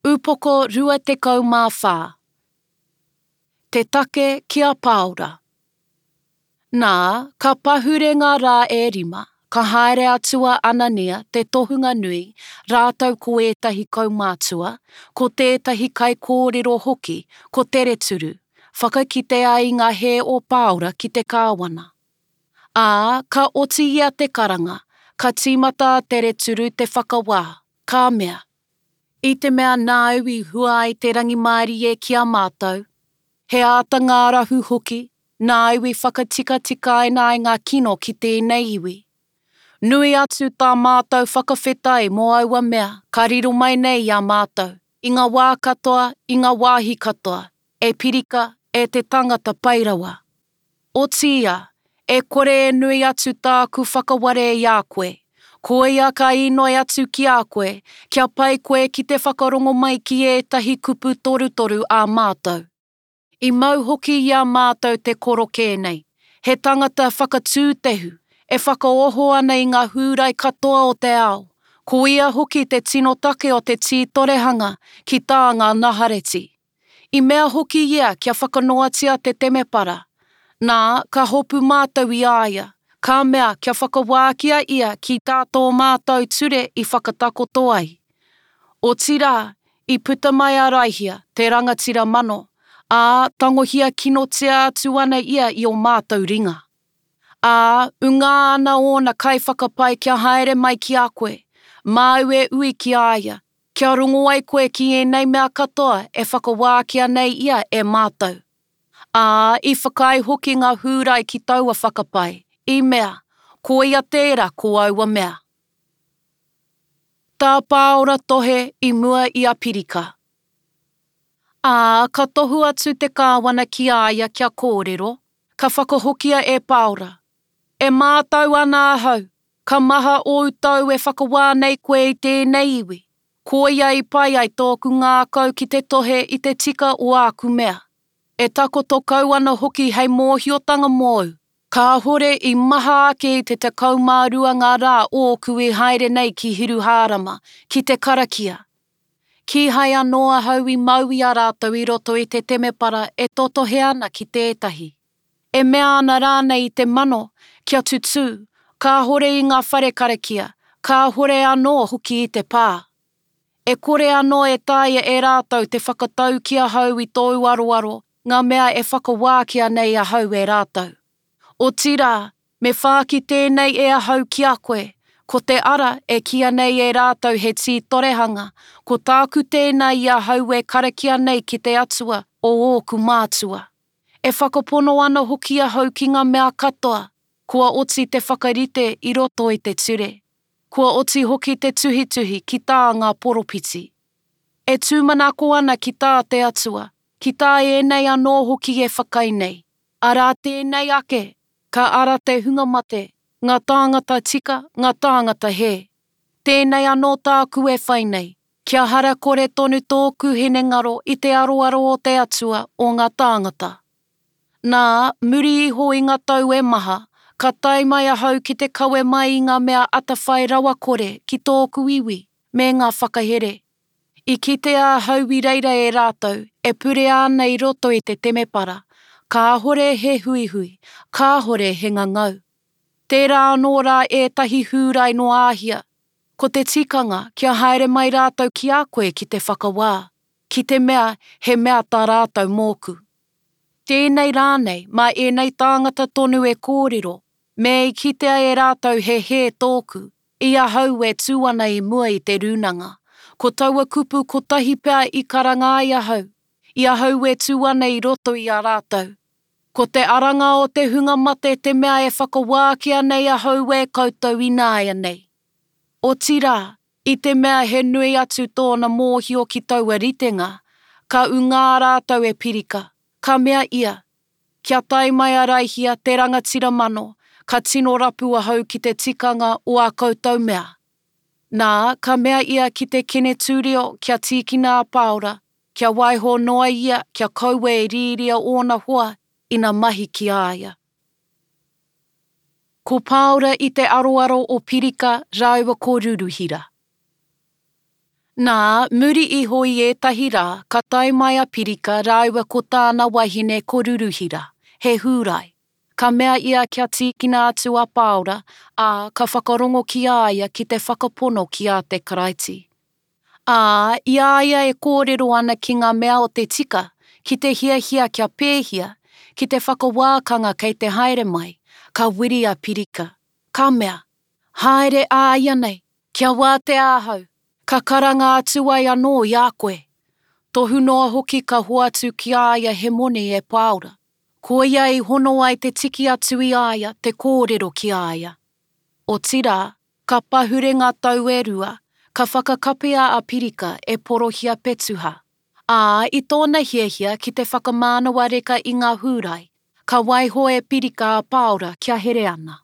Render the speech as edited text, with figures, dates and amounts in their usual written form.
Upoko 24. Te take ki a Pāora. Nā, ka pahure ngā rā e rima, ka haere atu a Anania, te tohunga nui, rātou ko ētahi kaumātua, ko tētahi kaikōrero hoki, ko Tereturu, whakakite ai i ngā hē o Pāora ki te kāwana. Ā, ka oti ia te karanga, ka tīmata a Tereturu te whakawā, ka mea, I te mea nāu i hua ai te rangimārie ki a mātou, he āta ngārahu hoki, nāu i whakatikatikaina ai ngā kino ki tēnei iwi. Nui atu tā mātou whakawhetai mō aua mea ka riro mai nei i a mātou, i ngā wā katoa, i ngā wāhi katoa, e Pirika, e te tangata pai rawa. Otiia, e kore e nui atu tāku whakaware i a koe. Koia ka inoi atu ki a koe, kia pai koe ki te whakarongo mai ki ētahi kupu torutoru ā mātou. I mau hoki i a mātou te korokē nei, he tangata whakatūtehu, e whakaoho ana i ngā Hūrai katoa o te ao, ko ia hoki te tino take o te tītorehanga ki tā ngā Nahareti. I mea hoki ia kia whakanoatia te temepara. Nā, ka hopu mātou i a ia, ka mea kia whakawākia ia ki tā tō mātou ture i whakatakoto ai. Otirā, i puta mai a Raihia, te rangatira mano, ā, tangohia kinotia atu ana ia i ō mātou ringa. Ā, ungā ana ōna kaiwhakapae kia haere mai ki a koe, māu e ui ki a ia, Kia rongo ai koe ki ēnei mea katoa e whakawākia nei ia e mātou. Ā, i whakaae hoki ngā Hūrai ki taua whakapae, i mea, Koia tērā ko aua mea. Tā Pāora tohe i mua i a Pirika. Ā, ka tohu atu te kāwana ki a ia kia kōrero, ka whakahokia e Pāora, E mātau ana ahau, Ka maha ōu tau e whakawā nei koe i tēnei iwi, koia i pai ai tōku ngākau ki te tohe i te tika o āku mea. E takoto kau ana hoki hei mōhiotanga mōu, kāhore i maha ake i te 12 ngā rā ōku i haere nei ki Hiruhārama, ki te karakia. Kīhai anō ahau i mau i a rātou i roto i te temepara e totohe ana ki tētahi. E mea ana rānei i te mano kia tutū, kāhore i ngā whare karakia, kāhore anō hoki i te pā. E kore anō e taea e rātou te whakatau ki ahau i tōu aroaro ngā mea e whakawākia nei ahau e rātou. Otirā, me whāki tēnei e ahau ki a koe, ko te ara e kīa nei e rātou he tītorehanga, ko tāku tēnā i ahau e karakia nei ki te Atua o ōku mātua. E whakapono ana hoki ahau ki ngā mea katoa kua oti te whakarite i roto i te ture, kua oti hoki te tuhituhi ki tā ngā poropiti. E tūmanako ana ki tā te Atua, ki tā ēnei anō hoki e whakai nei, arā tēnei ake, ka ara te hunga mate, ngā tāngata tika, ngā tāngata hē. Tēnei anō tāku e whai nei, Kia hara kore tonu tōku hinengaro i te aroaro o te Atua o ngā tāngata. Nā, muri iho i ngā tau e maha, ka tae mai ahau ki te kawe mai i ngā mea atawhai rawakore ki tōku iwi me ngā whakahere. I kitea ahau i reira e rātou e purea ana i roto i te temepara, kāhore he huihui, kāhore he ngangau. Tērā anō rā ētahi Hūrai nō Āhia, Ko te tikanga kia haere mai rātou ki a koe ki te whakawā, ki te mea he mea tā rātou mōku. Tēnei rānei, mā ēnei tāngata tonu e kōrero, me i kitea e rātou he hē tōku, i ahau e tū ana i mua i te rūnanga, ko taua kupu kotahi pea i karanga ai ahau, i ahau e tū ana i roto i a rātou. Ko te aranga o te hunga mate te mea e whakawākia nei ahau e koutou ināianei. Otirā, i te mea he nui atu tōna mōhio ki taua ritenga, ka ungā rātou e Pirika, ka mea ia, Kia tae mai a Raihia, te rangatira mano, ka tino rapu ahau ki te tikanga o ā koutou mea. Nā, ka mea ia ki te Kenetūrio kia tīkina a Pāora, kia waiho noa ia kia kaua e rīria ōna hoa ina mahi ki a ia. Ko Pāora i te aroaro o Pirika rāua ko Ruruhira. Nā, muri iho i ētahi rā, ka tae mai a Pirika rāua ko tāna wahine ko Ruruhira, he Hūrai. Ka mea ia kia tīkina atu a Pāora, ā, ka whakarongo ki a ia ki te whakapono ki a te Karaiti. Ā, i a ia e kōrero ana ki ngā mea o te tika, ki te hiahia kia pēhia, ki te whakawākanga kei te haere mai, ka wiri a Pirika, ka mea, Haere āianei, Kia wātea ahau, ka karanga atu ai anō i a koe. Tohu noa hoki ka hoatu ki a ia he moni e Pāora. Koia i hono ai te tiki atu i a ia te kōrero ki a ia. Otirā, ka pahure ngā tau e rua, ka whakakapia a Pirika e Porohia Petuha. Ā, i tōna hiahia ki te whakamānawa reka i ngā Hūrai, ka waiho e Pirika a Pāora kia here ana.